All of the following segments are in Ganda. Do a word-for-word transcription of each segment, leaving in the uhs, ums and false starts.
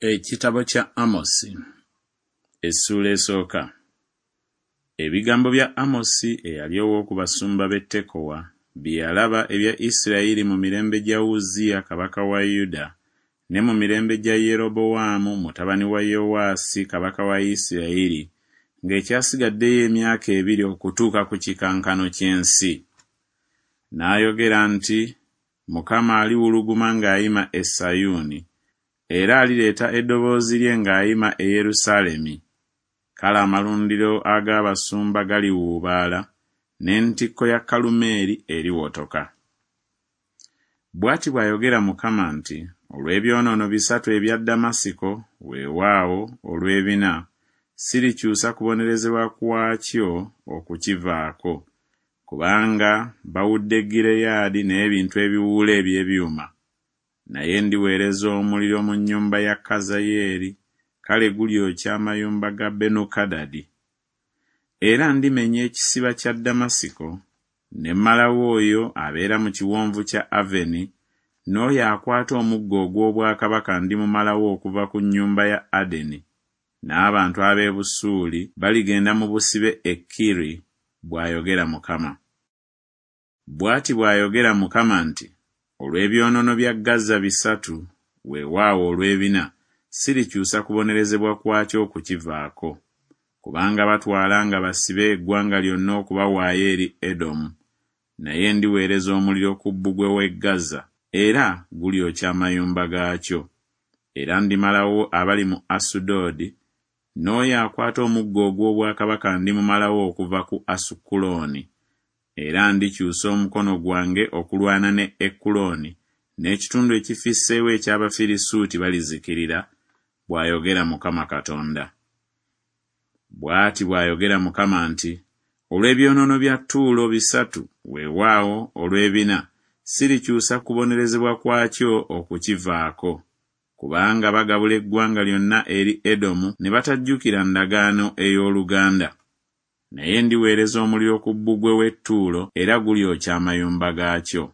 Ekitabo kya Amosi essuula esooka. Ebigambo bya Amosi eyali ow'oku basumba b'e Tekowa bye yalaba ebya Isirayiri mu mirembe gya Uzziya kabaka wa Yuda ne mu mirembe gya Yerobowaamu mutabani wa Yowaasi kabaka wa Isirayiri ng'ekyasigaddeyo emyaka ebiri okutuuka ku kikankano ky'ensi. N'ayogera nti, Mukama aliwuluguma ng'ayima e Sayuuni, era alireeta eddoboozi lye ng'ayima e Yerusaalemi. Kale amalundiro ag'abasumba galiwuubaala, n'entikko ya Kalumeeri eriwotoka. Bw'ati bw'ayogera Mukama nti, Olw'ebyonoono bisatu ebya Ddamasiko, weewaawo olw'ebina, sirikyusa kubonerezebwa kwakyo okukivaako, kubanga bawudde Gireyaadi n'ebintu ebiwuula eby'ebyuma. Naye ndiweereza omuliro mu nnyumba ya Kazayeeri, kale gulyokya amayumba ga Benukadadi. Era ndimenya ekisiba kya Ddamasiko, ne mmalawo oyo abeera mu kiwonvu kya Aveni, n'oyo akwata omuggo ogw'obwakabaka ndimumalawo okuva ku nnyumba ya Adeni, n'abantu ab'e Busuuli baligenda mu busibe e Kiri, bw'ayogera Mukama. Bw'ati bw'ayogera Mukama nti, Olw'ebyonoono bya Gaza bisatu, weewaawo olw'ebina, sirikyusa kubonerezebwa kwakyo okukivaako. Kubanga batwala nga basibe eggwanga lyonna okubawaayo eri Edomu. Naye ndiweereza omuliro ku bbugwe w'e Gaza, era gulyokya amayumba gaakyo. Era ndimalawo abali mu Asudodi, n'oyo akwata omuggo ogw'obwakabaka ndimumalawo okuva ku Asukulooni. Era ndikyusa omukono gwange okulwana ne Ekulooni, n'ekitundu ekifisseewo eky'Abafirisuuti balizikirira, bw'ayogera Mukama Katonda. Bw'ati bw'ayogera Mukama nti, Olw'ebyonoono bya Ttuulo bisatu, weewaawo olw'ebina, sirikyusa kubonerezebwa kwakyo okukivaako. Kubanga bagabula eggwanga lyonna eri Edomu ne batajjukira ndagaano ey'oluganda. Naye ndiweereza omuliro ku bbugwe w'e Ttuulo, era gulyokya amayumba gaakyo.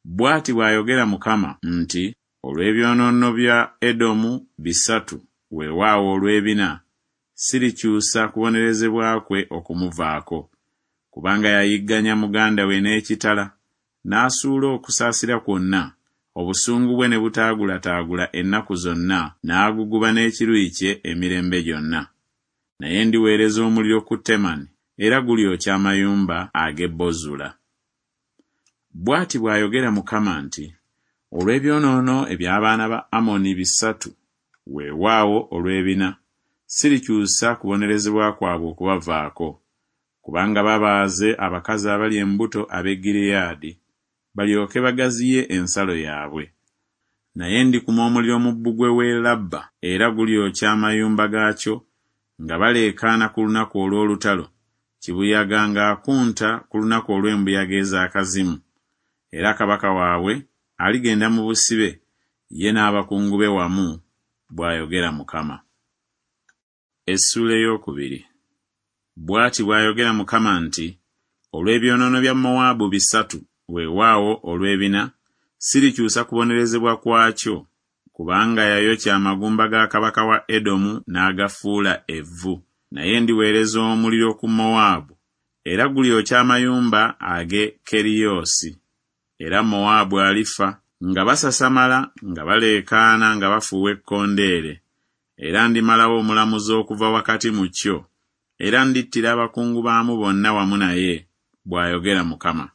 Bw'ati bw'ayogera Mukama nti, Olw'ebyonoono bya Edomu bisatu, weewaawo olw'ebina, sirikyusa kubonerezebwa kwe okumuvaako. Kubanga yayigganya muganda we n'ekitala, n'asuula okusaasira kwonna, obusungu bwe ne butaagulataagula ennaku zonna, n'aguguba n'ekiruyi kye emirembe gyonna. Naye ndiweereza omuliro ku Temani, era gulyokya amayumba ag'e Bozula. Bw'ati bw'ayogera Mukama nti, Olw'ebyonoono eby'abaana ba Amoni bisatu, weewaawo olw'ebina, sirikyusa kubonerezebwa kwabwe okubavaako. Kubanga babaaze abakazi abali embuto ab'e Gireyaadi, balyoke bagaziye ensalo yaabwe. Naye ndikuma omuliro mu bbugwe w'e Labba, era gulyokya amayumba gaakyo, nga baleekaana ku lunaku olw'olutalo, kibuyaga ng'akunta ku lunaku olw'embuyaga ez'akazimu. Era kabaka waabwe aligenda mu busibe, ye n'abakungu be wamu, bw'ayogera Mukama. Essuula ey'okubiri. Bw'ati bw'ayogera Mukama nti, Olw'ebyonoono bya Mowaabu bisatu, weewaawo olw'ebina, sirikyusa kubonerezebwa kwakyo, kubanga yayokya amagumba ga kabaka wa Edomu n'agafuula evvu. Naye ndiweereza omuliro ku Mowaabu, era gulyokya amayumba ag'e Keriyoosi. Era Mowaabu alifa nga basasamala, nga baleekaana, nga bafuuwa ekkondeere. Era ndimalawo omulamuzi okuva wakati mu kyo, era ndittira abakungu baamu bonna wamu naye, bw'ayogera Mukama.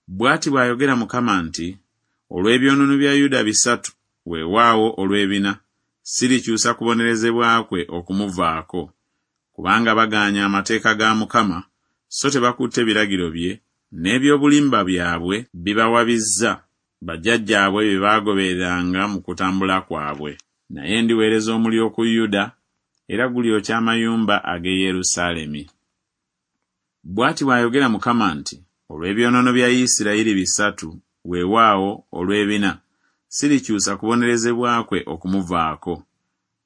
Bw'ati bw'ayogera Mukama nti, Olw'ebyonoono bya Yuda bisatu, weewaawo olw'ebina, sirikyusa kubonerezebwa kwe okumuvaako. Kubanga bagaanye amateeka ga Mukama, so tebakutte biragiro bye, n'ebyobulimba byabwe bibawabizza, bajjajjaabwe bye baagobereranga mu kutambula kwabwe. Naye ndiweereza omuliro ku Yuda, era gulyokya amayumba ag'e Yerusaalemi. Bw'ati bw'ayogera Mukama nti, Olw'ebyonoono bya Isirayiri bisatu, weewaawo olw'ebina, sirikyusa kubonerezebwa kwe okumuvaako.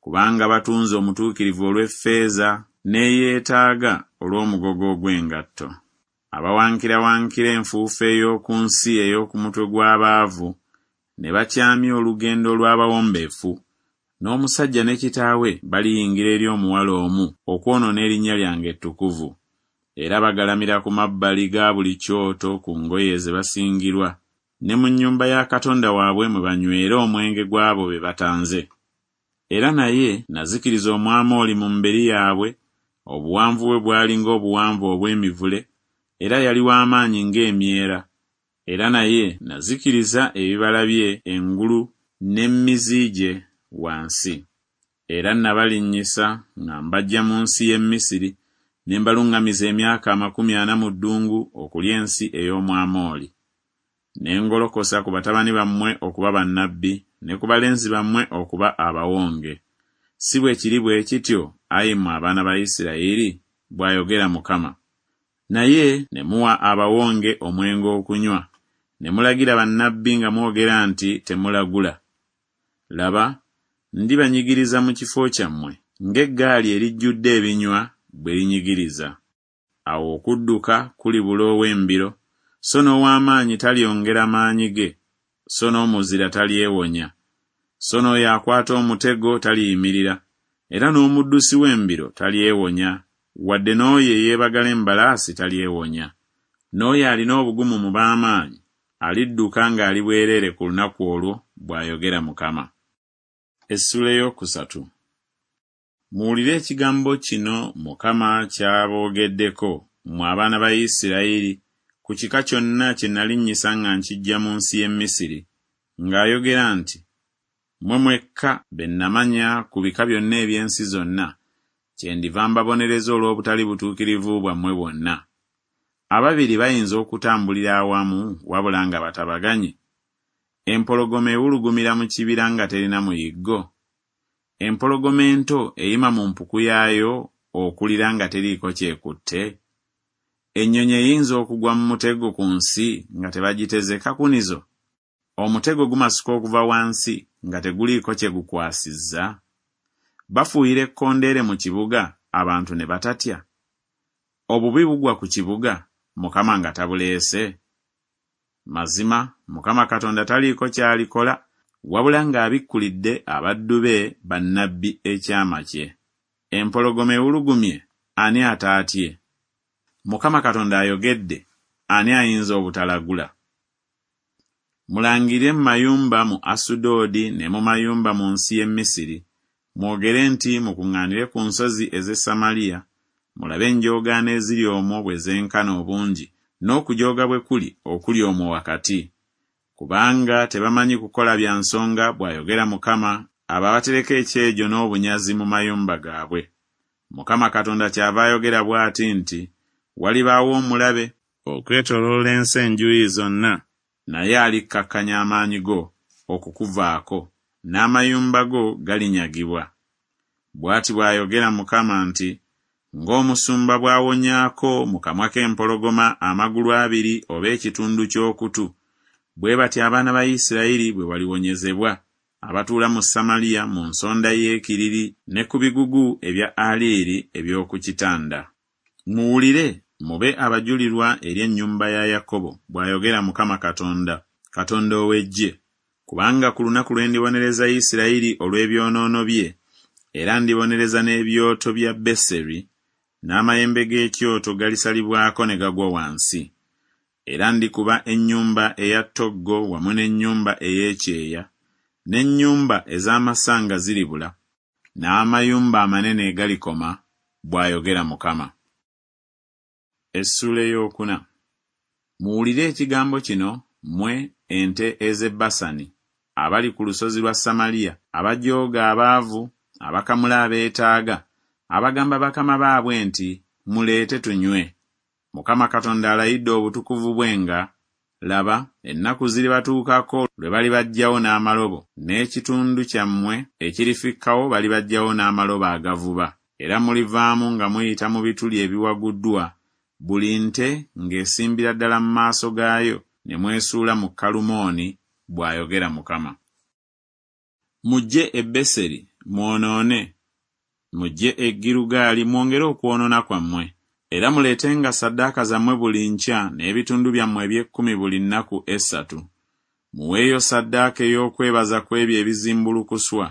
Kubanga batunze omutuukirivu olw'effeeza, n'eyeetaaga olw'omugogo ogw'engatto. Abawankirawankira enfuufu ey'oku nsi ey'oku mutwe gw'abaavu, ne bakyamya olugendo lw'abawombeefu, N'omusajja ne kitaawe baliyingira eri omuwala omu okwonoona erinnya lyange ettukuvu. Era bagalamira ku mabbali ga buli kyoto ku ngoye ze basingirwa, ne mu nnyumba ya Katonda waabwe mwe banywera omwenge gw'abo be batanze. Era naye nazikiriza Omwamoli mu mberi yaabwe, obuwanvu bwe bwali ng'obuwanvu obw'emivule, era yali w'amaanyi ng'emyera. Era naye nazikiriza ebibala bye engulu n'emizi gye wansi. Era nabalinnyisa nga mbaggya mu nsi y'e Misiri, ne mbaluŋŋamiza emyaka amakumi ana mu ddungu okulya ensi ey'Omwamoli. Ne ngolokosa ku batabani bammwe okuba bannabbi, ne ku balenzi bammwe okuba abawonge. Si bwe kiri bwe kityo, ayi mmwe abaana ba Isirayiri? Bw'ayogera Mukama. Naye ne muwa abawonge omwenge okunywa, ne mulagira bannabbi nga mwogera nti temulagula. Laba, ndibanyigiriza mu kifo kyammwe ng'eggaali erijjudde ebinywa bwe linyigiriza. Awo okudduka kulibula ow'embiro, so n'ow'amaanyi talyongera maanyi ge, so n'omuzira talyewonya, so n'oyo akwata omutego taliyimirira, era n'omuddusi w'embiro talyewonya, wadde n'oyo eyeebagala embalaasi talyewonya. N'oyo alina obugumu mu b'amaanyi alidduka ng'ali bwereere ku lunaku olwo, bw'ayogera Mukama. Essuula ey'okusatu. Muwulire ekigambo kino Mukama ky'aboogeddeko, mmwe abaana ba Isirayiri, ku kika kyonna kye nalinnyisa nga nkiggya mu nsi y'e Misiri, ng'ayogera nti, Mmwe mwekka be namanya ku bika byonna eby'ensi zonna, kyendiva mbabonereza olw'obutali butuukirivu bwammwe bwonna. Ababiri bayinza okutambulira awamu wabula nga batabaganye? Empologoma ewulugumira mu kibira nga terina muyiggo? Empologoma ento eyima mu mpuku yaayo okulira nga teriiko kyekutte? Ennyonyi eyinza okugwa mu mutego ku nsi nga tebagiteze kakunizo? Omutego gumasuka okuva wansi nga teguliiko kye gukwasizza? Bafuuyira ekkondeere mu kibuga abantu ne batatya? Obubi bugwa ku kibuga Mukama nga tabuleese? Mazima Mukama Katonda taliiko ky'alikola wabula ng'abikkulidde abaddu be bannabbi ekyama kye. Empologoma ewulugumye, ani ataatye? Mukama Katonda ayogedde, ani ayinza obutalagula? Mulangirire mu mayumba mu Asudodi ne mu mayumba mu nsi y'e Misiri, mwogere nti mukuŋŋaanire ku nsozi ez'e Samaliya, mulabe enjoogaano eziri omwo bwe zenkana obungi, n'okujooga bwe kuli okuli omwo wakati. Kubanga tebamanyi kukola bya nsonga, bw'ayogera Mukama, abo abatereka ekyejo n'obunyazi mu mayumba gaabwe. Mukama Katonda kyava ayogera bw'ati nti, walibaawo omulabe okwetooloola ensi enjuyi zonna, naye alikkakkanya amaanyi go okukuvaako, n'amayumba go galinyagibwa. Bw'ati bw'ayogera Mukama nti, ng'omusumba bw'awonyaako mu kamwa k'empologoma amagulu abiri oba ekitundu ky'okutu, bwe batyo abaana ba Isirayiri bwe baliwonyezebwa, abatuula mu Samaliya mu nsonda y'ekiriri ne ku bigugu ebya Aliiri eby'oku kitanda. Muwulire, mube abajulirwa eri ennyumba ya Yakobo, bw'ayogera Mukama Katonda, Katonda ow'eggye. Kubanga ku lunaku lwe ndibonereza Isirayiri olw'ebyonoono bye, era ndibonereza n'ebyoto bya Beseri, n'amayembe g'ekyoto galisalibwako ne gagwa wansi. Era ndikuba ennyumba eya ttoggo wamu n'ennyumba ey'ekyeya, n'ennyumba ez'amasanga ziribula, n'amayumba amanene galikoma, bw'ayogera Mukama. Essuula ey'okuna. Muwulire ekigambo kino, mmwe ente ez'e Basani, abali ku lusozi lwa Samaliya, abajooga abaavu, abakamula abeetaaga, abagamba bakama baabwe nti, muleete tunywe. Mukama Katonda alayidde obutukuvu bwe nga, laba, ennaku ziribatuukako lwe balibaggyawo n'amalobo, n'ekitundu kyammwe ekirifikkawo balibaggyawo n'amalobo agavuba. Era mulivaamu nga muyita mu bituli ebiwaguddwa, buli nte ng'esimbira ddala mu maaso gaayo, ne mwesuula mu Kalumooni, bw'ayogera Mukama. Mujje e Beseri mwonoone, mujje e Girugaali mwongere okwonoona kwammwe. Era muleetenga ssaddaaka zammwe buli nkya n'ebitundu byammwe eby'ekkumi buli nnaku essatu. Muweeyo ssaddaaka ey'okwebaza ku ebyo ebizimbulukuswa.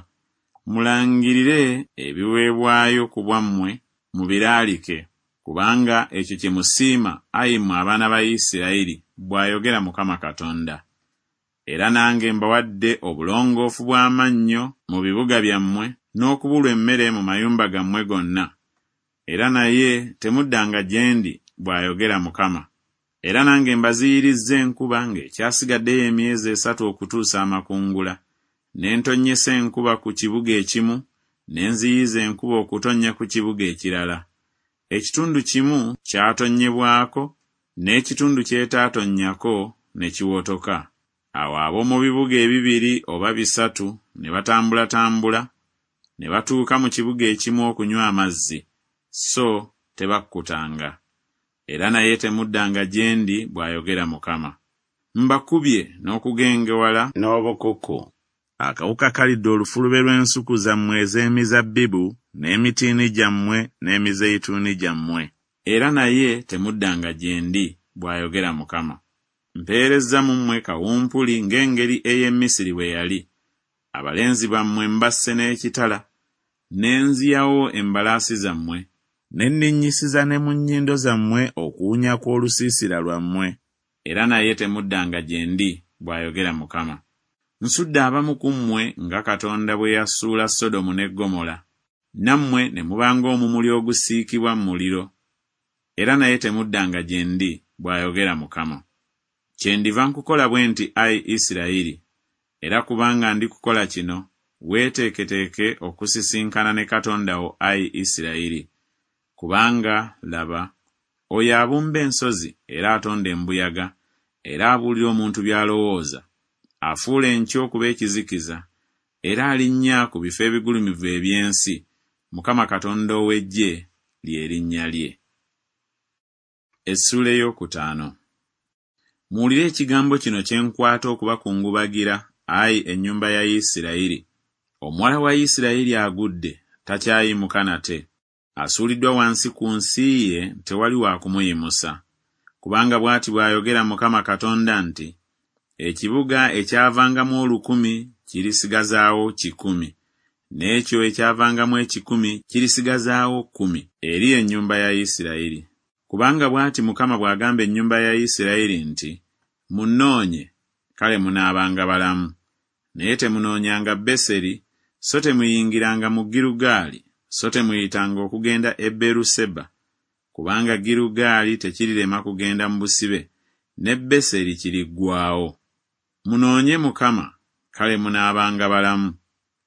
Mulangirire ebiweebwayo ku bwammwe, mubiraalike, kubanga ekyo kye musiima, ayi mmwe abaana ba Isirayiri, bw'ayogera Mukama Katonda. Era nange mbawadde obulongoofu bw'amannyo mu bibuga byammwe, n'okubulwa emmere mu mayumba gammwe gonna. Era naye temuddanga gye ndi, bw'ayogera Mukama. Era nange mbaziyirizza enkuba ng'ekyasigaddeyo emyezi esatu okutuusa amakungula. Ne ntonnyesa enkuba ku kibuga ekimu, ne nziyiza enkuba okutonnya ku kibuga ekirala. Ekitundu kimu kyatonnyebwako, n'ekitundu ky'etaatonnyako ne kiwotoka. Awo ab'omu bibuga ebibiri oba bisatu ne batambulatambula, ne batuuka mu kibuga ekimu okunywa amazzi, so tebakkutanga. Era naye temuddanga gye ndi, bw'ayogera Mukama. Mbakubye n'okugengewala n'obukuku. Akawuka kalidde olufulube lw'ensuku zammwe ez'emizabbibu n'emitiini gyammwe n'emizeyituuni gyammwe. Era naye temuddanga gye ndi, bw'ayogera Mukama. Mpeerezza mu mmwe kawumpuli ng'engeri ey'e Misiri bwe yali. Abalenzi bammwe mbasse n'ekitala, ne nziyawo embalaasi zammwe, ne nninnyisiza ne mu nnyindo zammwe okuwunya kw'olusiisira lwammwe. Era naye temuddanga gye ndi, bw'ayogera Mukama. Nsudde abamu ku mmwe nga Katonda bwe yasuula Sodomu ne Ggomola, nammwe ne muba ng'omumuli ogusiikibwa mu muliro. Era naye temuddanga gye ndi, bw'ayogera Mukama. Kyendiva nkukola bwe nti, ayi Isirayiri, era kubanga ndikukola kino, weeteeketeeke okusisinkana ne Katonda wo, ayi Isirayiri. Kubanga, laba, oyo abumba ensozi era atonda embuyaga, era abuulira omuntu by'alowooza, afuula enkya okuba ekizikiza, era alinnya ku bifo ebigulumivu eby'ensi, Mukama Katonda ow'eggye lye linnya lye. Essuula ey'okutaano. Muwulire ekigambo kino kye nkwata okubakungubagira, ayi ennyumba ya Isirayiri. Omuwala wa Isirayiri agudde, takyayimuka nate. Asuuliddwa wansi ku nsi ye, tewali wa kumuyimusa. Kubanga bw'ati bw'ayogera Mukama Katonda nti, Ekibuga ekyavangamu olukumi kirisigazaawo kikumi, n'ekyo ekyavangamu ekikumi kirisigazaawo kkumi eri ennyumba ya Isirayiri. Kubanga bw'ati Mukama bw'agamba ennyumba ya Isirayiri nti, Munnoonye, kale munaabanga balamu. Naye temunoonyanga Beseri, so temuyingiranga mu Girugaali, so temuyitanga okugenda e Beruseba. Kubanga Girugaali tekirirema kugenda mu busibe, ne Beseri kiriggwaawo. Munoonye Mukama, kale munaabanga balamu,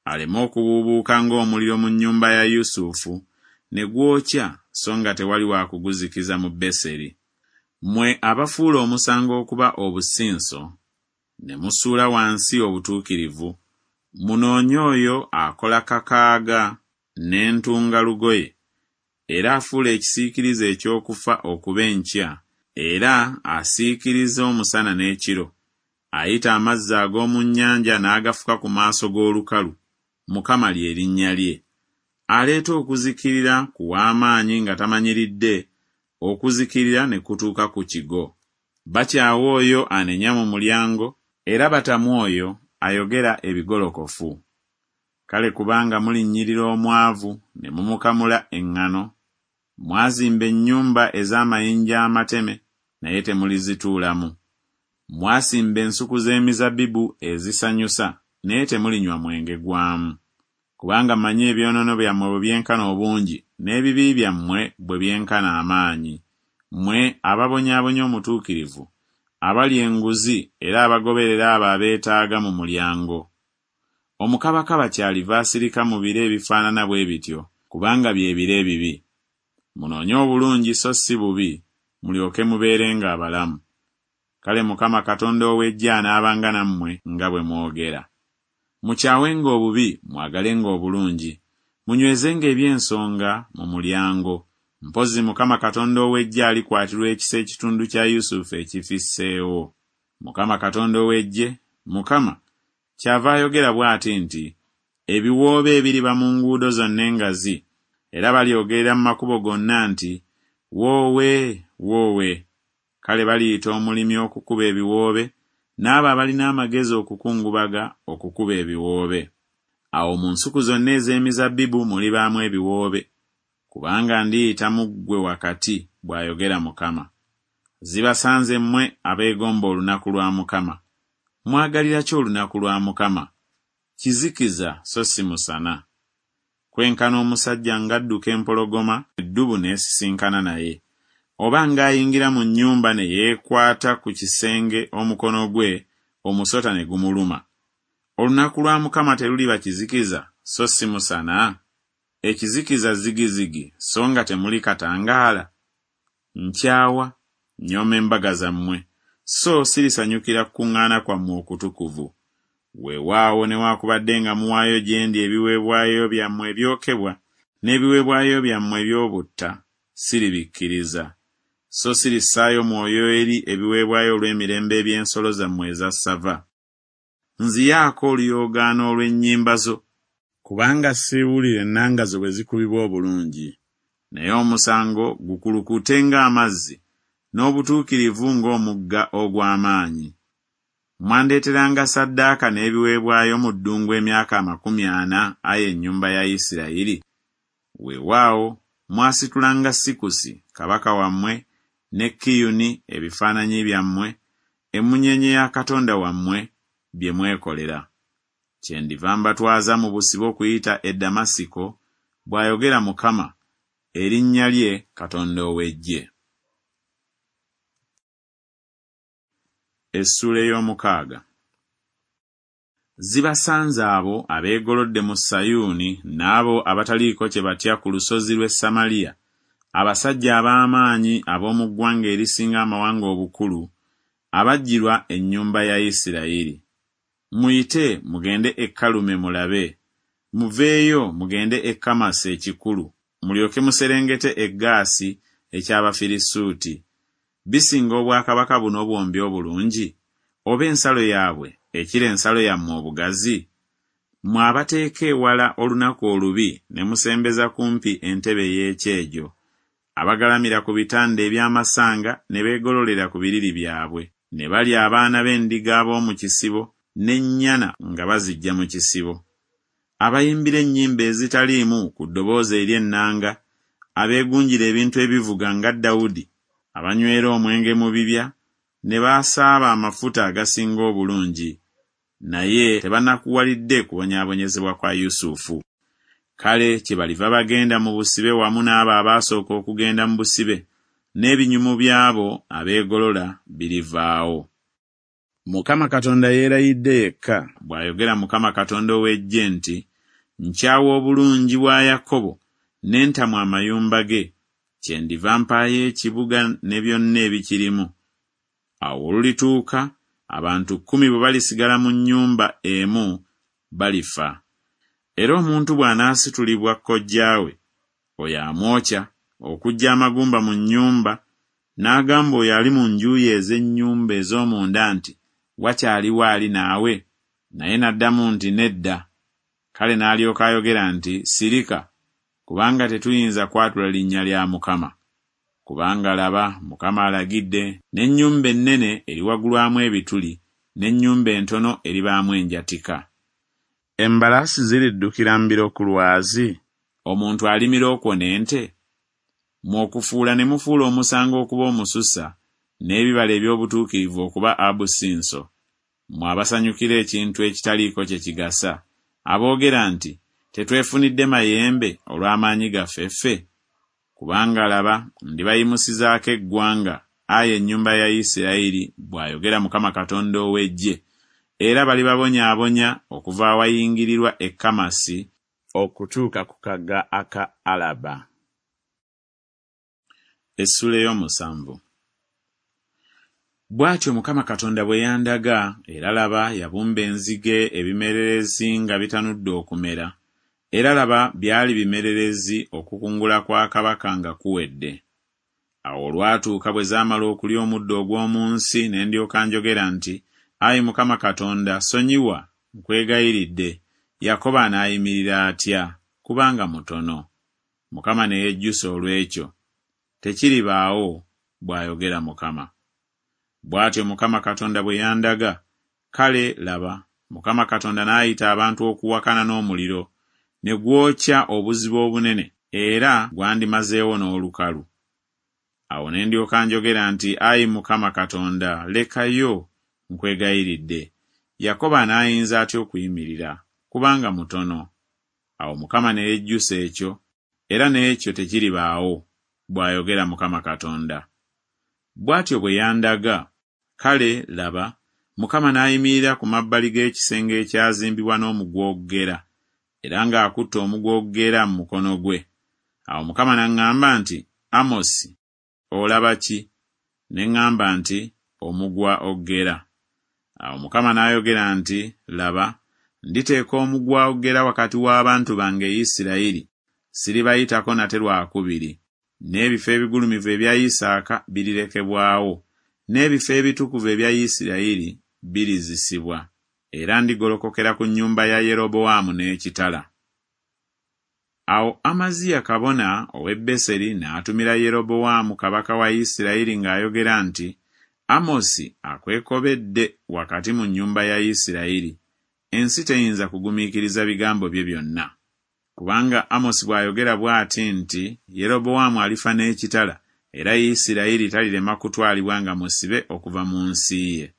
aleme okubuubuuka ng'omuliro mu nnyumba ya Yusufu, ne gwokya so nga tewali wa kuguzikiza mu Beseri. Mmwe abafuula omusango okuba obusinso, ne musuula wansi obutuukirivu, munoonye oyo akola kakaaga n'entungalugoye, era afuula ekisiikirize eky'okufa okuba enkya, era asiikiriza omusana n'ekiro, ayita amazzi ag'omu nnyanja n'agafuka ku maaso g'olukalu, Mukama lye linnya lye. Aleeta okuzikirira ku w'amaanyi nga tamanyiridde, okuzikirira ne kutuuka ku kigo. Bakyawa oyo anenya mu mulyango, era batamu oyo ayogera ebigolokofu. Kale kubanga mulinnyirira omwavu ne mumukamula eŋŋano, mwazimba ennyumba ez'amayinja amateme, naye temulizituulamu. Mwasimba ensuku z'emizabbibu ezisanyusa, naye temulinywa mwenge gwamu. Kubanga mmanyi ebyonoono byammwe bwe byenkana obungi, n'ebibi byammwe bwe byenkana amaanyi. Mmwe ababonyaabonya omutuukirivu, abalya enguzi era abagoberera abo abeetaaga mu mulyango. Omukabakaba kyaliva asirika mu biro ebifaanana bwe bityo, kubanga bye biro ebibi. Munoonye obulungi so si bubi, mulyoke mubeerenga abalamu. Kale Mukama Katonda ow'eggye anaabanga nammwe nga bwe mwogera. Mukyawenga obubi, mwagalenga obulungi. Munywezenga eby'ensonga mu mulyango. Mpozzi Mukama Katonda ow'eggye alikwatirwa ekisa ekitundu kya Yusufu ekifisseewo. Mukama Katonda ow'eggye, Mukama, kyava ayogera bw'ati nti, Ebiwoobe ebiriba mu nguudo zonna engazi, era balyogerera mu makubo gonna nti, Woowe, woowe! Kale baliyita omulimi okukuba ebiwoobe, n'abo abalina amagezi okukungubaga okukuba ebiwoobe. Awo mu nsuku zonna ez'emizabbibu mulibaamu ebiwoobe, kubanga ndiyita mu ggwe wakati, bw'ayogera Mukama. Zibasanze mmwe abeegomba olunaku lwa Mukama. Mwagalira ki olunaku lwa Mukama? Kizikiza so si musana. Kwenkana omusajja ng'adduka empologoma, eddubu n'esisinkana naye, oba ng'ayingira mu nnyumba ne yeekwata ku kisenge omukono gwe, omusota ne gumuluma. Olunaku lwa Mukama teruliba kizikiza so si musana? Ekizikiza zigizigi so nga temuli katangaala? Nkyawa, nnyooma embaga zammwe, so sirisanyukira kukuŋŋaana kwammwe okutukuvu. Weewaawo newaakubadde nga muwaayo gye ndi ebiweebwayo byammwe ebyokebwa n'ebiweebwayo byammwe eby'obutta, siribikkiriza. So sirissaayo mwoyo eri ebiweebwayo olw'emirembe eby'ensolo zammwe eza ssava. Nziyaako oluyoogaano olw'ennyimba zo, kubanga siwulira ennanga zo bwe zikubibwa obulungi. Naye omusango gukulukute ng'amazzi, n'obutuukirivu ng'omugga ogw'amaanyi. Mwandeeteranga ssaddaaka n'ebiweebwayo mu ddungu emyaka amakumi ana, ayi ennyumba ya Isirayiri? Weewaawo mwasitulanga Sikusi kabaka wammwe ne Kiyuni ebifaananyi byammwe, emmunyeenye ya katonda wammwe, bye mwekolera. Kyendiva mbatwaza mu busibe okuyita e Damasiko, bw'ayogera Mukama, erinnya lye Katonda ow'eggye. Essuula ey'omukaaga. Zibasanze abo abeegolodde mu Sayuuni n'abo abataliiko kye batya ku lusozi lw'e Samaliya, abasajja ab'amaanyi ab'omu ggwanga erisinga amawanga obukulu, abajjirwa ennyumba ya Isirayiri. Muyite mugende e Kalume mulabe, muveeyo mugende e Kamasi ekikulu, mulyoke muserengete e Gaasi eky'Abafirisuuti. Bisinga obwakabaka buno bwombi obulungi, oba ensalo yaabwe ekira ensalo yammwe obugazi? Mmwe abateeka ewala olunaku olubi ne musembeza kumpi entebe ey'ekyejo, abagalamira ku bitanda eby'amasanga ne beegololera ku biriri byabwe, ne balya abaana b'endiga ab'omu kisibo n'ennyana nga baziggya mu kisibo. Abayimbira ennyimba ezitaliimu ku ddoboozi ery'ennanga, abeegunjira ebintu ebivuga nga Dawudi, abanywera omwenge mu bibya, ne baasaaba amafuta agasinga obulungi, naye tebanakuwalidde kubonyaabonyezebwa kwa Yusufu. Kale kyebaliva bagenda mu busibe wamu n'abo abaasooka okugenda mu busibe, n'ebinyumu by'abo abeegolola birivaawo. Mukama Katonda yeerayidde yekka, bw'ayogera Mukama Katonda ow'eggye nti, nkyawa obulungi bwa Yakobo ne ntamwa amayumba ge, kyendiva mpaayo ekibuga ne byonna ebikirimu. Awo olulituuka abantu kkumi bwe balisigala mu nnyumba emu balifa. Era omuntu bw'anaasitulibwa kojjaawe, oyo amwokya okuggya amagumba mu nnyumba, n'agamba oyo ali mu njuyi ez'ennyumba ez'omunda nti, wakyaliwo ali naawe? Naye n'addamu nti, nedda. Kale n'alyoka ayogera nti, sirika, kubanga tetuyinza kwatula linnya lya Mukama. Kubanga laba, Mukama alagidde, n'ennyumba ennene eriwagulwamu ebituli, n'ennyumba entono eribaamu enjatika. Embalaasi ziriddukira mbiro ku lwazi? Omuntu alimira okwo n'ente? Mmwe okufuula ne mufuula omusango okuba omususa, n'ebibala eby'obutuukirivu okuba abusinso. Mmwe abasanyukira ekintu ekitaliiko kye kigasa, aboogera nti, tetwefunidde mayembe olw'amaanyi gaffe ffe? Kubanga laba, ndibayimusizaako eggwanga, ayi ennyumba ya Isirayiri, bw'ayogera Mukama Katonda ow'eggye, era balibabonyaabonya okuva awayingirirwa e Kamasi okutuuka ku kagga aka Alaba. Essuula ey'omusanvu. Bw'atyo Mukama Katonda bwe yandaga, era laba, yabumba enzige ebimererezi nga bitanudde okumera, era laba byali bimererezi okukungula kwa kabaka nga kuwedde. Awo olwatuuka bwe zaamala okulya omuddo ogw'omu nsi, ne ndyoka njogera nti, ayi Mukama Katonda, sonyiwa, nkwegayiridde, Yakobo anaayimirira atya? Kubanga mutono. Mukama ne yejjusa olw'ekyo. Tekiribaawo, bw'ayogera Mukama. Bw'atyo Mukama Katonda bwe yandaga, kale laba, Mukama Katonda n'ayita abantu okuwakana n'omuliro, ne gwokya obuziba obunene, era gwandimazeewo n'olukalu. Awo ne ndyoka njogera nti, Ayi Mukama Katonda, lekayo, nkwegayiridde. Yakobo anaayinza atya okuyimirira? Kubanga mutono. Awo Mukama ne yejjusa ekyo, era n'ekyo tekiribaawo, bw'ayogera Mukama Katonda. Bw'atyo bwe yandaga. Kale, laba, Mukama n'ayimirira ku mabbali g'ekisenge ekyazimbibwa n'omuguwa ogugera, era ng'akutte omuguwa ogugera mu mukono gwe. Awo Mukama n'aŋŋamba nti, Amosi, olaba ki? Ne ŋŋamba nti, Omuguwa ogugera. Awo Mukama n'ayogera nti, Laba, nditeeka omuguwa ogugera wakati w'abantu bange Isirayiri, siribayitako nate lwakubiri. N'ebifo ebigulumivu ebya Isaaka birirekebwawo, n'ebifo ebitukuvu ebya Isirayiri birizisibwa, era ndigolokokera ku nnyumba ya Yerobowaamu n'ekitala. Awo Amaziya kabona ow'e Beseri n'atumira Yerobowaamu kabaka wa Isirayiri ng'ayogera nti, Amosi akwekobedde wakati mu nnyumba ya Isirayiri, ensi teyinza kugumiikiriza bigambo bye byonna. Kubanga Amosi bw'ayogera bw'ati nti, Yerobowaamu alifa n'ekitala, era Isirayiri talirema kutwalibwa nga musibe okuva mu nsi ye.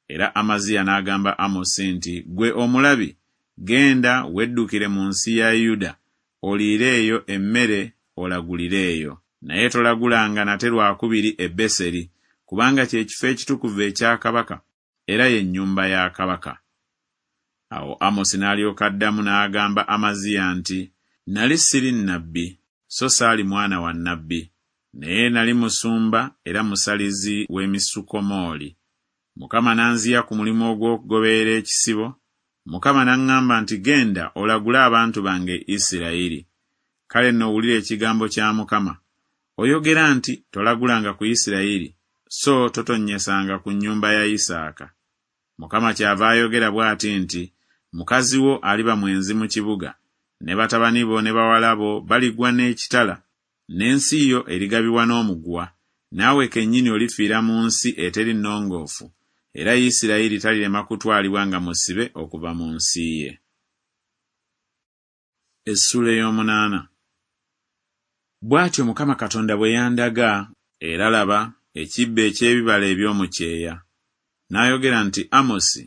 Era Amaziya n'agamba Amosi nti, Ggwe omulabi, genda weddukire mu nsi ya Yuda, oliire eyo emmere, olagulire eyo. Naye tolagulanga nate lwakubiri e Beseri, kubanga kye kifo ekitukuvu ekya kabaka, era ye nnyumba ya kabaka. Awo Amosi n'alyoka addamu n'agamba Amaziya nti, Nali siri nnabbi, so saali mwana wa nnabbi, naye nali musumba era musalizi w'emisukomooli. Mukama n'anziya ku mulimu ogw'okugoberera ekisibo. Mukama n'aŋŋamba nti, Genda olagule abantu bange Isirayiri. Kale nno owulire ekigambo kya Mukama. Oyogera nti, Tolagulanga ku Isirayiri, so totonnyesanga ku nnyumba ya Isaaka. Mukama kyava ayogera bw'ati nti, Mukazi wo aliba mwenzi mu kibuga, ne batabani bo ne bawala bo baligwa n'ekitala, n'ensi yo erigabibwa n'omuguwa, naawe kennyini olifiira mu nsi eteri nnongoofu, era Isirayiri talirema kutwalibwa nga musibe okuva mu nsi ye. Essuula ey'omunaana. Bw'atyo Mukama Katonda bwe yandaga, era laba, ekibbo eky'ebibala eby'omu kyeya. N'ayogera nti, Amosi,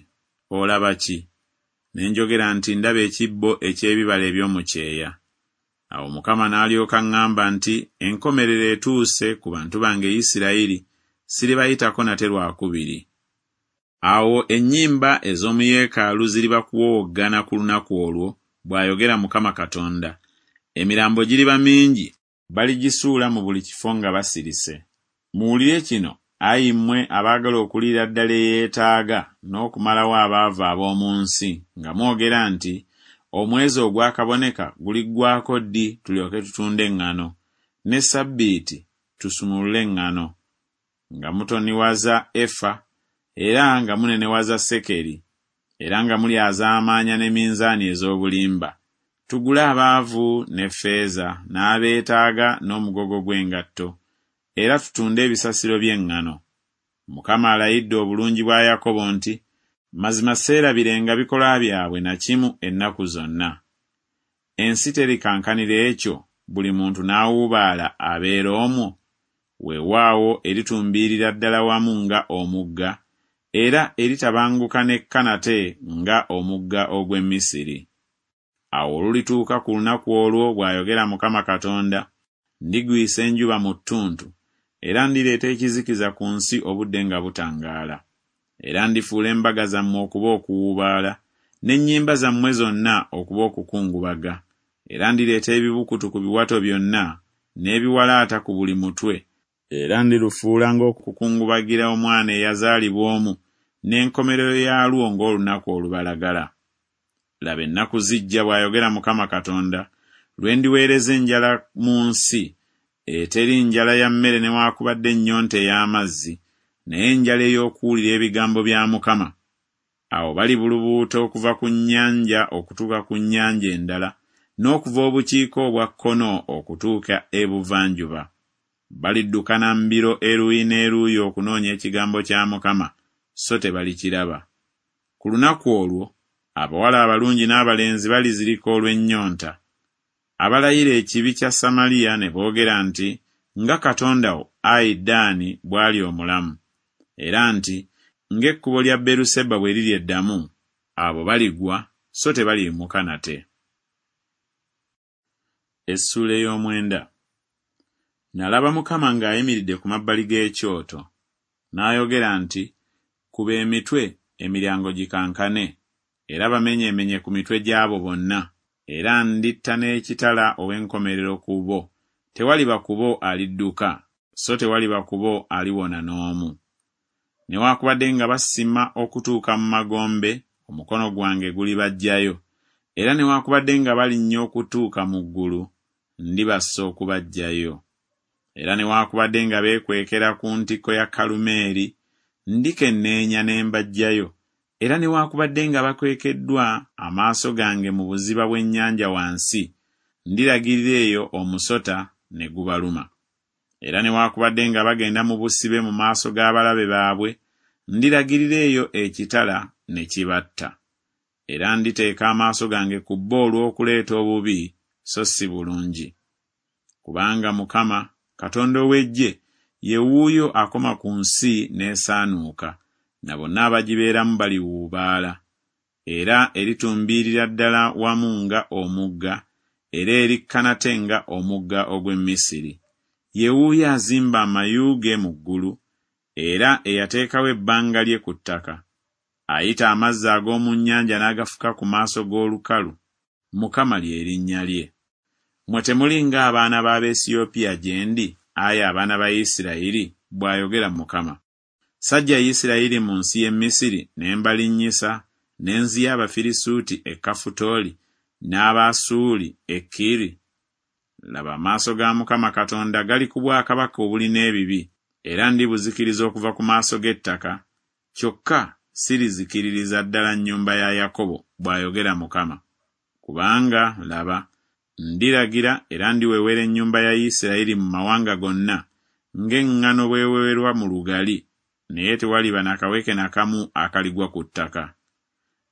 olaba ki? Ne njogera nti, Ndaba ekibbo eky'ebibala eby'omu kyeya. Awo Mukama n'alyoka aŋŋamba nti, Enkomerero etuuse ku bantu bange Isirayiri, siribayitako nate lwakubiri. Awo ennyimba ez'omu yeekaalu ziriba kuwowoggana ku lunaku olwo, bw'ayogera Mukama Katonda. Emirambo giriba mingi, baligisuula mu buli kifo nga basirise. Muwulire kino, ayi mmwe abaagala okuliira ddala eyeetaaga n'okumalawo abaavu ab'omu nsi, nga mwogera nti, Omwezi ogwakaboneka guliggwaako ddi tulyoke tutunde eŋŋano, ne ssabbiiti tusumulule eŋŋano, nga mutoniwaza efa, era nga munenewaza sekeri, era nga mulyazaamaanya ne minzaani ez'obulimba. Tugule abaavu ne ffeeza, n'abeetaaga n'omugogo gw'engatto, era tutunde ebisasiro by'eŋŋano. Mukama alayidde obulungi bwa Yakobo nti, Mazima seerabirenga bikolwa byabwe na kimu ennaku zonna. Ensi terikankanira ekyo, buli muntu n'awuubaala abeera omwo? Weewaawo eritumbiirira ddala wamu nga omugga, era eritabanguka n'ekka nate nga omugga ogw'e Misiri. Awo olulituuka ku lunaku olwo, bw'ayogera Mukama Katonda, ndigwisa enjuba mu ttuntu, era ndireeta ekizikiza ku nsi obudde nga butangaala. Era ndifuula embaga zammwe okuba okuwuubaala, n'ennyimba zammwe zonna okuba okukungubaga. Era ndireeta ebibukutu ku biwato byonna, n'ebiwalaata ku buli mutwe. Era ndirufuula ng'okukungubagira omwana eyazaalibwa omu, n'enkomerero yaalwo ng'olunaku olubalagala. Laba, ennaku zijja, bw'ayogera Mukama Katonda, lwe ndiweereza enjala mu nsi, eteri njala ya mmere newaakubadde ennyonta ey'amazzi, naye enjala ey'okuwulira ebigambo bya Mukama. Awo balibulubuuta okuva ku nnyanja okutuuka ku nnyanja endala, n'okuva obukiika obwa kkono okutuuka ebuvanjuba. Baliddukana mbiro eruuyi n'eruuyi okunoonya ekigambo kya Mukama, so tebalikiraba. Ku lunaku olwo abawala abalungi n'abalenzi balizirika olw'ennyonta. Abalayira ekibi kya Samaliya ne boogera nti, Nga Katonda wo, ayi Ddaani, bw'ali omulamu, era nti, Ng'ekkubo lya Beruseba bwe liri eddamu, abo baligwa so tebaliyimuka nate. Essuula ey'omwenda. Nalaba Mukama ng'ayimiridde ku mabbali g'ekyoto. N'ayogera nti, Kuba emitwe, emiryango gikankane, era bamenyeemenye ku mitwe gy'abo bonna, era nditta n'ekitala ow'enkomerero ku bo, tewaliba ku bo alidduka, so tewaliba ku bo aliwona n'omu. Newaakubadde nga basima okutuuka mu magombe, omukono gwange gulibaggyayo, era newaakubadde nga balinnya okutuuka mu ggulu, ndibassa okubaggyayo. Era newaakubadde nga beekwekera ku ntikko ya Kalumeeri, ndikenneenya ne mbaggyayo, era newaakubadde nga bakwekeddwa amaaso gange mu buziba bw'ennyanja wansi, ndiragirira eyo omusota ne gubaluma. Era newaakubadde nga bagenda mu busibe mu maaso g'abalabe baabwe, ndiragirira eyo ekitala ne kibatta. Era nditeeka amaaso gange ku bo olw'okuleeta obubi, so si bulungi. Kubanga Mukama, Katonda ow'eggye, ye wuuyo akoma ku nsi n'esaanuuka, na bonna abagibeeramu baliwuubaala. Era eritumbiirira ddala wamu nga omugga, era erikka nate nga omugga ogw'e Misiri. Ye wuuyo azimba amayu ge mu ggulu, era eyateekawo ebbanga lye ku ttaka. Ayita amazzi ag'omu nnyanja n'agafuka ku maaso g'olukalu. Mukama lye linnya lye. Mmwe temuli ng'abaana b'Abaesiyopiya gye ndi, ayi abaana ba Isirayiri, bw'ayogera Mukama. Sajja Isirayiri mu nsi y'e Misiri ne mbalinnyisa, ne nziya Abafirisuuti e Kafutooli n'Abaasuuli e Kiri? Laba, amaaso ga Mukama Katonda gali ku bwakabaka obulina ebibi, era ndibuzikiriza okuva ku maaso g'ettaka, kyokka sirizikiririza ddala nnyumba ya Yakobo, bw'ayogera Mukama. Kubanga, laba, ndiragira era ndiwewera ennyumba ya Isirayiri mu mawanga gonna, ng'eŋŋano bw'ewewerwa mu lugali, naye tewaliba na kaweke na kamu akaligwa ku ttaka.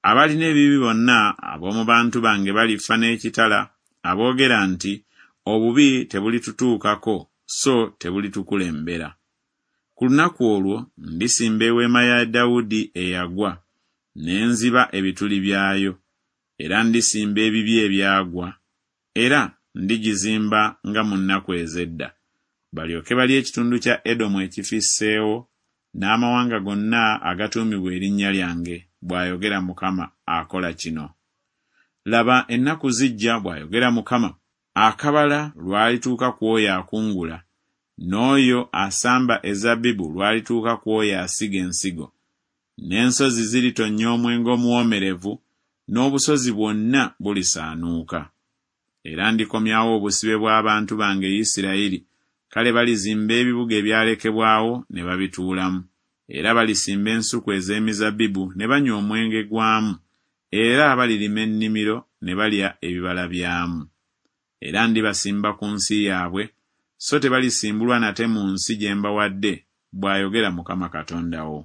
Abalina ebibi bonna ab'omu bantu bange balifa n'ekitala, aboogera nti, Obubi tebulitutuukako, so tebulitukulembera. Ku lunaku olwo ndisimba eweema ya Dawudi eyagwa, ne nziba ebituli byayo, era ndisimba ebibi ebyagwa, era ndigizimba nga mu nnaku ez'edda, balyoke balye ekitundu kya Edomu ekifisseewo, n'amawanga gonna agatuumibwa erinnya lyange, bw'ayogera Mukama akola kino. Laba, ennaku zijja, bw'ayogera Mukama, akabala lwalituuka ku oyo akungula, n'oyo asamba ezabbibu lwalituuka ku oyo asiga ensigo. N'ensozi ziritonnya omwenge omuwoomerevu, n'obusozi bwonna bulisaanuuka. Era ndikomyawo obusibe bw'abantu bange Isirayiri, kale balizimba ebibuga ebyalekebwawo ne babituulamu. Era balisimba ensuku ez'emizabbibu ne banywa omwenge gwamu, era balirima ennimiro ne balya ebibala byamu. Era ndibasimba ku nsi yaabwe, so tebalisimbulwa nate mu nsi gye mbawadde, bw'ayogera Mukama Katonda wo.